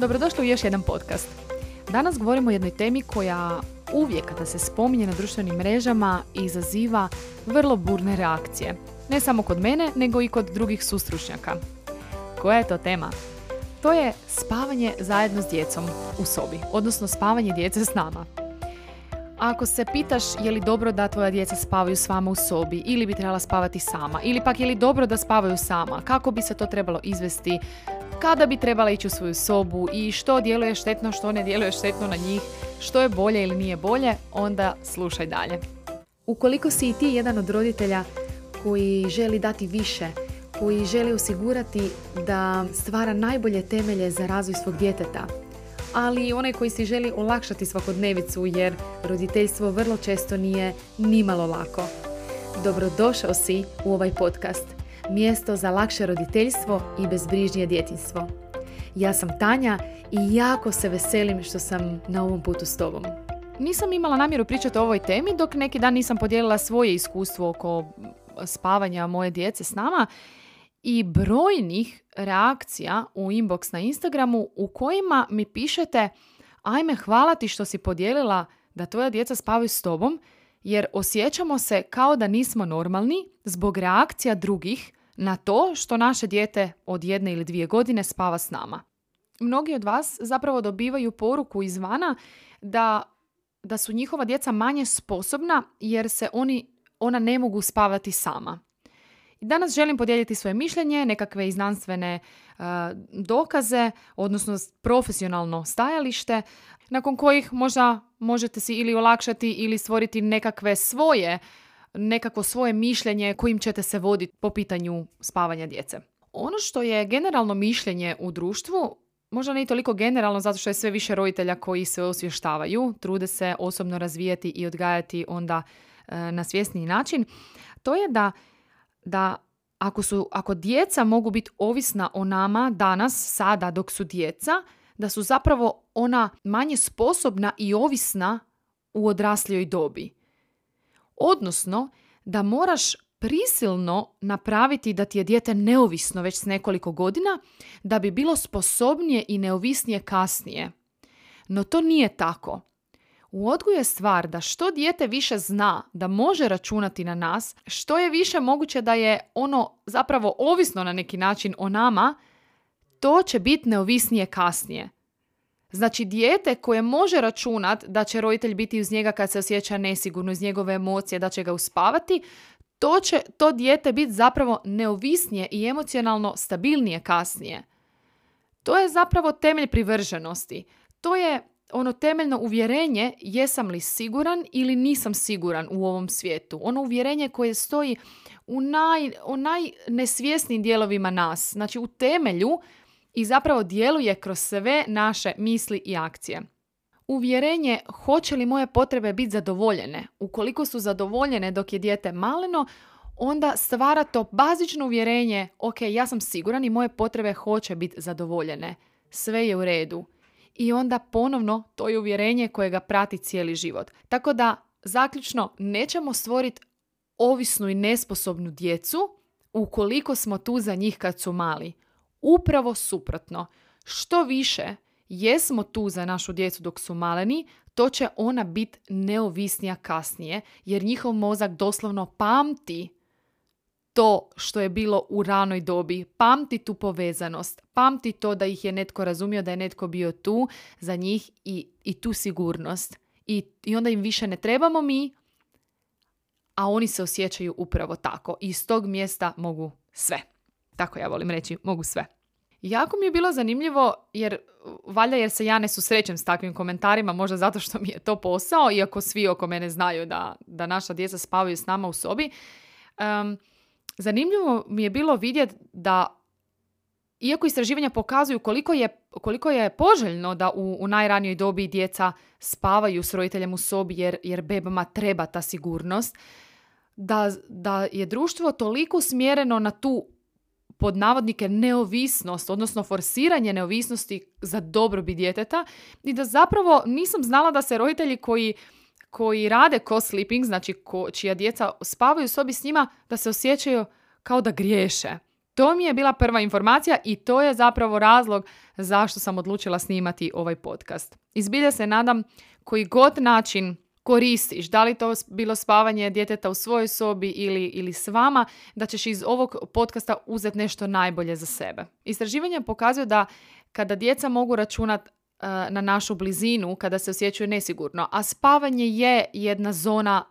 Dobrodošli u još jedan podcast. Danas govorimo o jednoj temi koja uvijek kada se spominje na društvenim mrežama izaziva vrlo burne reakcije. Ne samo kod mene, nego i kod drugih sustručnjaka. Koja je to tema? To je spavanje zajedno s djecom u sobi, odnosno spavanje djece s nama. Ako se pitaš je li dobro da tvoja djeca spavaju s vama u sobi ili bi trebala spavati sama, ili pak je li dobro da spavaju sama, kako bi se to trebalo izvesti, kada bi trebala ići u svoju sobu i što djeluje štetno, što ne djeluje štetno na njih, što je bolje ili nije bolje, onda slušaj dalje. Ukoliko si i ti jedan od roditelja koji želi dati više, koji želi osigurati da stvara najbolje temelje za razvoj svog djeteta, ali onaj koji si želi olakšati svakodnevicu jer roditeljstvo vrlo često nije nimalo lako. Dobrodošao si u ovaj podcast. Mjesto za lakše roditeljstvo i bezbrižnije djetinjstvo. Ja sam Tanja i jako se veselim što sam na ovom putu s tobom. Nisam imala namjeru pričati o ovoj temi dok neki dan nisam podijelila svoje iskustvo oko spavanja moje djece s nama i brojnih reakcija u inbox na Instagramu u kojima mi pišete: ajme, hvala ti što si podijelila da tvoja djeca spavaju s tobom, jer osjećamo se kao da nismo normalni zbog reakcija drugih na to što naše dijete od 1 ili 2 godine spava s nama. Mnogi od vas zapravo dobivaju poruku izvana da su njihova djeca manje sposobna jer se ona ne mogu spavati sama. I danas želim podijeliti svoje mišljenje, nekakve i znanstvene dokaze, odnosno profesionalno stajalište, nakon kojih možda možete si ili olakšati ili stvoriti nekako svoje mišljenje kojim ćete se voditi po pitanju spavanja djece. Ono što je generalno mišljenje u društvu, možda ne toliko generalno zato što je sve više roditelja koji se osvještavaju, trude se osobno razvijati i odgajati onda na svjesniji način, to je da ako djeca mogu biti ovisna o nama danas, sada dok su djeca, da su zapravo ona manje sposobna i ovisna u odraslijoj dobi. Odnosno, da moraš prisilno napraviti da ti je dijete neovisno već s nekoliko godina, da bi bilo sposobnije i neovisnije kasnije. No to nije tako. U odgoju je stvar da što dijete više zna da može računati na nas, što je više moguće da je ono zapravo ovisno na neki način o nama, to će biti neovisnije kasnije. Znači, dijete koje može računati da će roditelj biti uz njega kad se osjeća nesigurno, iz njegove emocije, da će ga uspavati, to dijete biti zapravo neovisnije i emocionalno stabilnije kasnije. To je zapravo temelj privrženosti. To je ono temeljno uvjerenje jesam li siguran ili nisam siguran u ovom svijetu. Ono uvjerenje koje stoji u najnesvjesnijim dijelovima nas. Znači u temelju i zapravo djeluje kroz sve naše misli i akcije. Uvjerenje hoće li moje potrebe biti zadovoljene. Ukoliko su zadovoljene dok je dijete maleno, onda stvara to bazično uvjerenje: ok, ja sam siguran i moje potrebe hoće biti zadovoljene. Sve je u redu. I onda ponovno to je uvjerenje koje ga prati cijeli život. Tako da, zaključno, nećemo stvoriti ovisnu i nesposobnu djecu ukoliko smo tu za njih kad su mali. Upravo suprotno. Što više jesmo tu za našu djecu dok su maleni, to će ona biti neovisnija kasnije, jer njihov mozak doslovno pamti to što je bilo u ranoj dobi, pamti tu povezanost, pamti to da ih je netko razumio, da je netko bio tu za njih i tu sigurnost. I onda im više ne trebamo mi, a oni se osjećaju upravo tako. I iz tog mjesta mogu sve. Tako ja volim reći, mogu sve. Jako mi je bilo zanimljivo, jer se ja ne susrećem s takvim komentarima, možda zato što mi je to posao, iako svi oko mene znaju da naša djeca spavaju s nama u sobi. Zanimljivo mi je bilo vidjeti da, iako istraživanja pokazuju koliko je poželjno da u najranijoj dobi djeca spavaju s roditeljem u sobi jer bebama treba ta sigurnost, da je društvo toliko usmjereno na tu, pod navodnike, neovisnost, odnosno forsiranje neovisnosti za dobrobit djeteta, i da zapravo nisam znala da se roditelji koji rade co-sleeping, znači čija djeca spavaju u sobi s njima, da se osjećaju kao da griješe. To mi je bila prva informacija i to je zapravo razlog zašto sam odlučila snimati ovaj podcast. I zbilja se nadam koji god način koristiš, da li to bilo spavanje djeteta u svojoj sobi ili s vama, da ćeš iz ovog podcasta uzeti nešto najbolje za sebe. Istraživanja pokazuju da kada djeca mogu računati na našu blizinu, kada se osjećaju nesigurno, a spavanje je jedna zona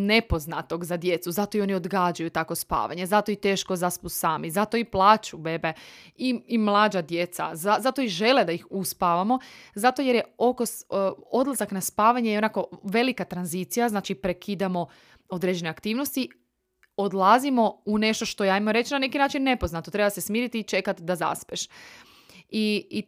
nepoznatog za djecu, zato i oni odgađaju tako spavanje, zato i teško zaspu sami, zato i plaču bebe i mlađa djeca, zato i žele da ih uspavamo, zato jer je odlazak na spavanje je onako velika tranzicija, znači prekidamo određene aktivnosti, odlazimo u nešto što je, ajmo reći, na neki način nepoznato, treba se smiriti i čekati da zaspeš. I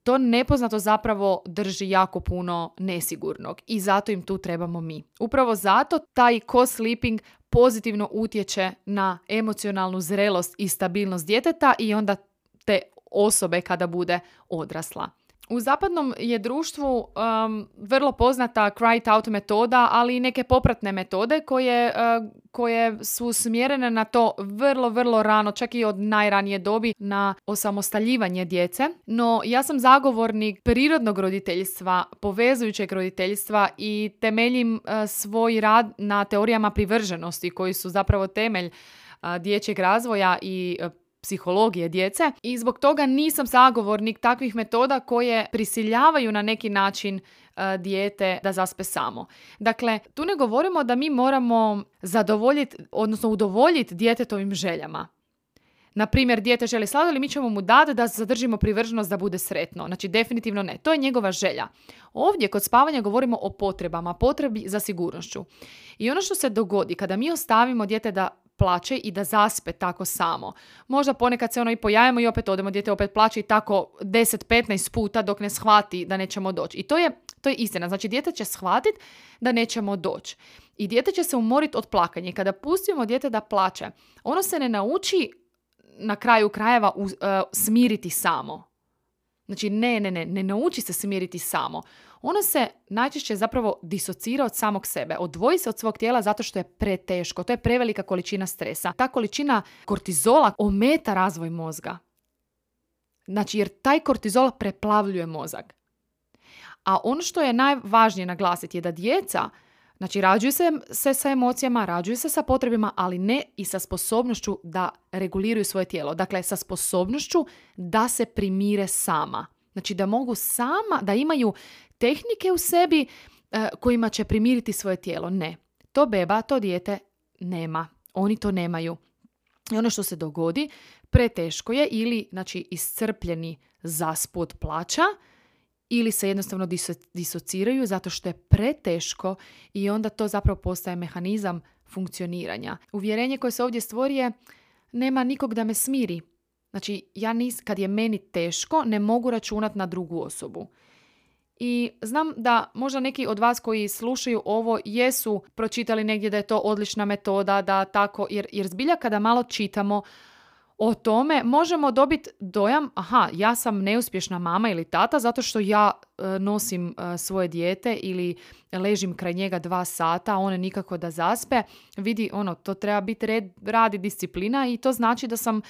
to nepoznato zapravo drži jako puno nesigurnog i zato im tu trebamo mi. Upravo zato taj co-sleeping pozitivno utječe na emocionalnu zrelost i stabilnost djeteta i onda te osobe kada bude odrasla. U zapadnom je društvu vrlo poznata cry out metoda, ali i neke popratne metode koje su smjerene na to vrlo, vrlo rano, čak i od najranije dobi, na osamostaljivanje djece. No, ja sam zagovornik prirodnog roditeljstva, povezujućeg roditeljstva i temeljim svoj rad na teorijama privrženosti koji su zapravo temelj dječjeg razvoja i psihologije djece i zbog toga nisam zagovornik takvih metoda koje prisiljavaju na neki način dijete da zaspe samo. Dakle, tu ne govorimo da mi moramo zadovoljiti, odnosno udovoljiti djetetovim željama. Na primjer, dijete želi sladoled, mi ćemo mu dati da zadržimo privrženost da bude sretno. Znači, definitivno ne. To je njegova želja. Ovdje kod spavanja govorimo o potrebama, potrebi za sigurnošću. I ono što se dogodi kada mi ostavimo dijete da plače i da zaspe tako samo. Možda ponekad se i pojavimo i opet odemo, dijete opet plače i tako 10-15 puta dok ne shvati da nećemo doći. I to je istina. Znači, dijete će shvatiti da nećemo doći. I dijete će se umoriti od plakanja. I kada pustimo dijete da plače, ono se ne nauči na kraju krajeva smiriti samo. Znači, ne nauči se smiriti samo. Ono se najčešće zapravo disocira od samog sebe. Odvoji se od svog tijela zato što je preteško. To je prevelika količina stresa. Ta količina kortizola ometa razvoj mozga. Znači, jer taj kortizol preplavljuje mozak. A ono što je najvažnije naglasiti je da djeca, znači, rađuju se sa emocijama, rađuju se sa potrebima, ali ne i sa sposobnošću da reguliraju svoje tijelo. Dakle, sa sposobnošću da se primire sama. Znači, da mogu sama, da imaju tehnike u sebi kojima će primiriti svoje tijelo. Ne. To beba, to dijete nema. Oni to nemaju. I ono što se dogodi, preteško je ili, znači, iscrpljeni zaspu od plaća, ili se jednostavno disociraju zato što je preteško i onda to zapravo postaje mehanizam funkcioniranja. Uvjerenje koje se ovdje stvori je nema nikog da me smiri. Znači, kad je meni teško, ne mogu računati na drugu osobu. I znam da možda neki od vas koji slušaju ovo jesu pročitali negdje da je to odlična metoda, da tako, jer zbilja kada malo čitamo o tome, možemo dobiti dojam, ja sam neuspješna mama ili tata zato što ja nosim svoje dijete ili ležim kraj njega 2 sata, a on nikako da zaspe. Vidi, to treba biti rad i disciplina i to znači da sam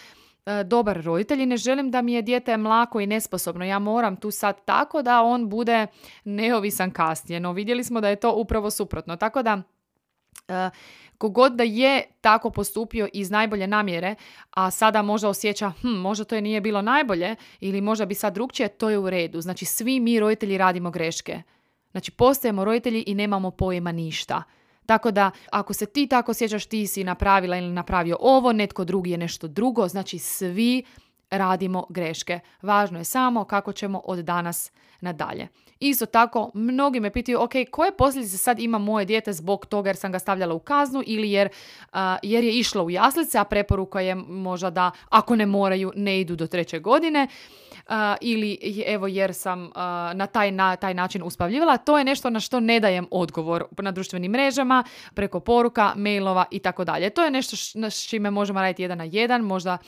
dobar roditelj i ne želim da mi je dijete mlako i nesposobno. Ja moram tu sad tako da on bude neovisan kasnije. No, vidjeli smo da je to upravo suprotno. Tako da kogod da je tako postupio iz najbolje namjere, a sada možda osjeća, možda to nije bilo najbolje ili možda bi sad drugčije, to je u redu. Znači, svi mi roditelji radimo greške. Znači, postajemo roditelji i nemamo pojma ništa. Tako da, ako se ti tako osjećaš, ti si napravila ili napravio ovo, netko drugi je nešto drugo, znači svi radimo greške. Važno je samo kako ćemo od danas nadalje. Isto tako, mnogi me pitaju, koje posljedice sad ima moje dijete zbog toga jer sam ga stavljala u kaznu ili jer je išlo u jaslice, a preporuka je možda da ako ne moraju, ne idu do 3. godine. Ili jer sam na taj način uspavljivala. To je nešto na što ne dajem odgovor na društvenim mrežama, preko poruka, mailova i tako dalje. To je nešto s čime možemo raditi 1 na 1, možda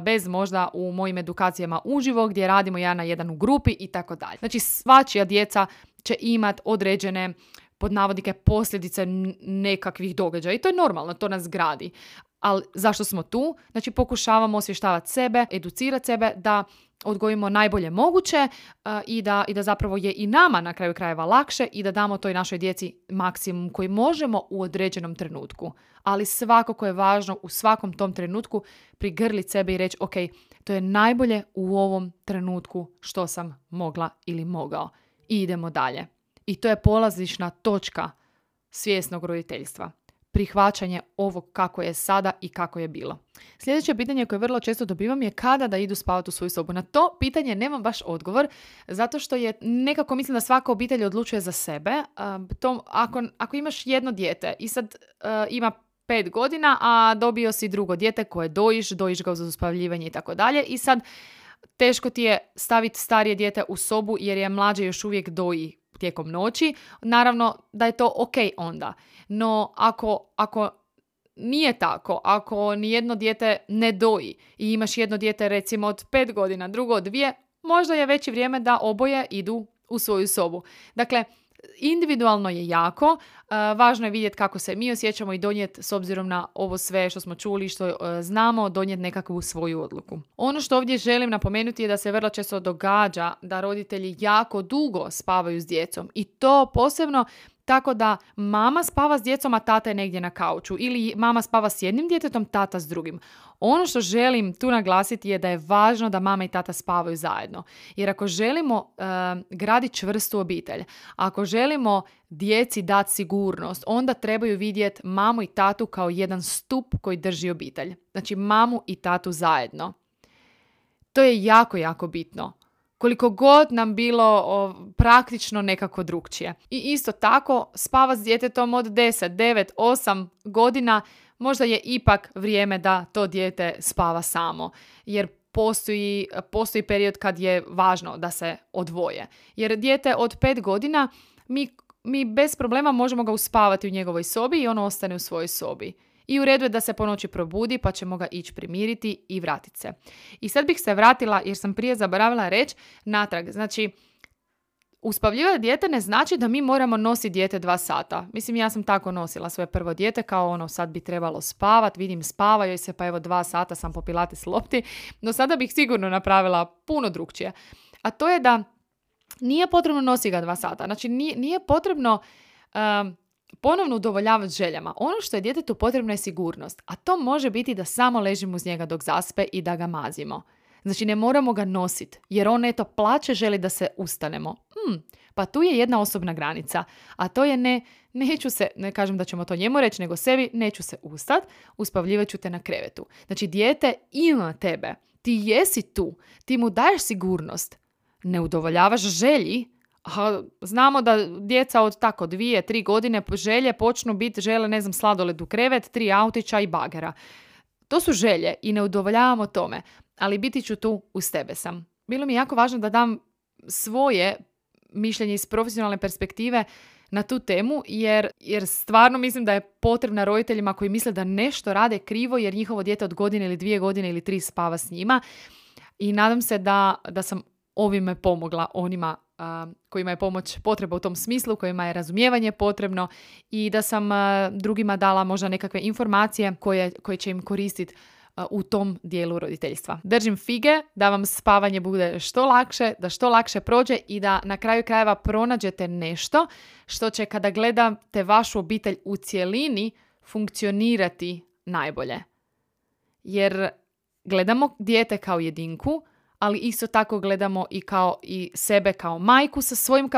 bez možda u mojim edukacijama uživo gdje radimo 1 na 1 u grupi i tako dalje. Znači, svačija djeca će imati određene pod navodnike posljedice nekakvih događaja i to je normalno, to nas gradi. Ali zašto smo tu? Znači pokušavamo osvještavati sebe, educirati sebe da odgojimo najbolje moguće i da zapravo je i nama na kraju krajeva lakše i da damo toj našoj djeci maksimum koji možemo u određenom trenutku. Ali svakako je važno u svakom tom trenutku prigrliti sebe i reći ok, to je najbolje u ovom trenutku što sam mogla ili mogao. I idemo dalje. I to je polazišna točka svjesnog roditeljstva. Prihvaćanje ovog kako je sada i kako je bilo. Sljedeće pitanje koje vrlo često dobivam je kada da idu spavati u svoju sobu. Na to pitanje nemam baš odgovor, zato što je nekako mislim da svaka obitelj odlučuje za sebe. Ako imaš jedno dijete i sad ima 5 godina, a dobio si drugo dijete koje dojiš ga za uspavljivanje i tako dalje i sad teško ti je staviti starije dijete u sobu jer je mlađe još uvijek doji tijekom noći, naravno da je to ok onda. No ako nije tako, ako nijedno dijete ne doji i imaš jedno dijete recimo od 5 godina, drugo od 2, možda je već i vrijeme da oboje idu u svoju sobu. Dakle, individualno je jako, važno je vidjeti kako se mi osjećamo i donijeti s obzirom na ovo sve što smo čuli, što znamo, donijeti nekakvu svoju odluku. Ono što ovdje želim napomenuti je da se vrlo često događa da roditelji jako dugo spavaju s djecom i to posebno tako da mama spava s djecom, a tata je negdje na kauču ili mama spava s jednim djetetom, tata s drugim. Ono što želim tu naglasiti je da je važno da mama i tata spavaju zajedno. Jer ako želimo graditi čvrstu obitelj, ako želimo djeci dati sigurnost, onda trebaju vidjeti mamu i tatu kao jedan stup koji drži obitelj. Znači mamu i tatu zajedno. To je jako, jako bitno. Koliko god nam bilo praktično nekako drukčije. I isto tako, spava s djetetom od 10, 9, 8 godina, možda je ipak vrijeme da to dijete spava samo. Jer postoji period kad je važno da se odvoje. Jer dijete od 5 godina, mi bez problema možemo ga uspavati u njegovoj sobi i ono ostane u svojoj sobi. I u redu je da se po noći probudi pa ćemo ga ići primiriti i vratiti se. I sad bih se vratila, jer sam prije zaboravila reći, natrag. Znači, uspavljivati dijete ne znači da mi moramo nositi dijete 2 sata. Mislim, ja sam tako nosila svoje prvo dijete, kao sad bi trebalo spavati, vidim spava joj se, pa evo 2 sata sam po pilates lopti. No sada bih sigurno napravila puno drukčije. A to je da nije potrebno nositi ga 2 sata. Znači, nije potrebno ponovno udovoljavati željama. Ono što je djetetu potrebno je sigurnost, a to može biti da samo ležimo uz njega dok zaspe i da ga mazimo. Znači ne moramo ga nositi, jer on plače, želi da se ustanemo. Pa tu je jedna osobna granica, a to je ne kažem da ćemo to njemu reći, nego sebi, neću se ustati, uspavljivat ću te na krevetu. Znači dijete ima tebe, ti jesi tu, ti mu daješ sigurnost, ne udovoljavaš želji. Znamo da djeca od tako 2-3 godine počnu biti, žele sladoled u krevet, 3 autića i bagera. To su želje i ne udovoljavamo tome, ali biti ću tu uz tebe sam. Bilo mi je jako važno da dam svoje mišljenje iz profesionalne perspektive na tu temu, jer stvarno mislim da je potrebna roditeljima koji misle da nešto rade krivo jer njihovo dijete od godine ili 2 godine ili 3 spava s njima. I nadam se da sam ovime pomogla onima kojima je pomoć potreba u tom smislu, kojima je razumijevanje potrebno i da sam drugima dala možda nekakve informacije koje će im koristiti u tom dijelu roditeljstva. Držim fige da vam spavanje bude što lakše, da što lakše prođe i da na kraju krajeva pronađete nešto što će kada gledate vašu obitelj u cjelini funkcionirati najbolje. Jer gledamo dijete kao jedinku, ali isto tako gledamo i sebe kao majku sa svojim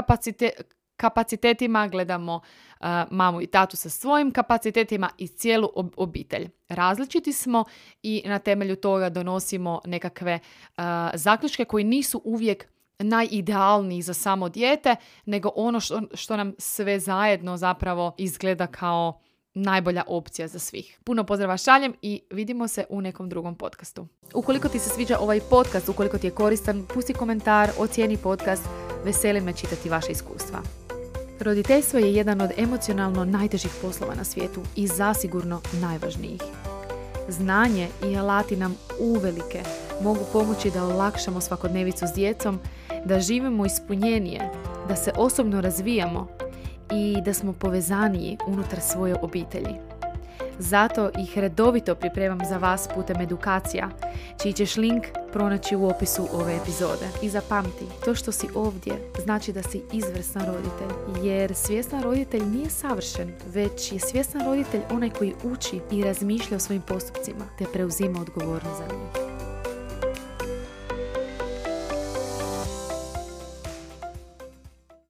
kapacitetima, gledamo mamu i tatu sa svojim kapacitetima i cijelu obitelj. Različiti smo i na temelju toga donosimo nekakve zaključke koji nisu uvijek najidealniji za samo dijete, nego ono što nam sve zajedno zapravo izgleda kao najbolja opcija za svih. Puno pozdrava šaljem i vidimo se u nekom drugom podcastu. Ukoliko ti se sviđa ovaj podcast, ukoliko ti je koristan, pusti komentar, ocijeni podcast, veseli me čitati vaše iskustva. Roditeljstvo je jedan od emocionalno najtežih poslova na svijetu i zasigurno najvažnijih. Znanje i alati nam uvelike mogu pomoći da olakšamo svakodnevicu s djecom, da živimo ispunjenije, da se osobno razvijamo i da smo povezaniji unutar svoje obitelji. Zato ih redovito pripremam za vas putem edukacija, čiji ćeš link pronaći u opisu ove epizode. I zapamti, to što si ovdje znači da si izvrstan roditelj, jer svjestan roditelj nije savršen, već je svjestan roditelj onaj koji uči i razmišlja o svojim postupcima, te preuzima odgovornost za njih.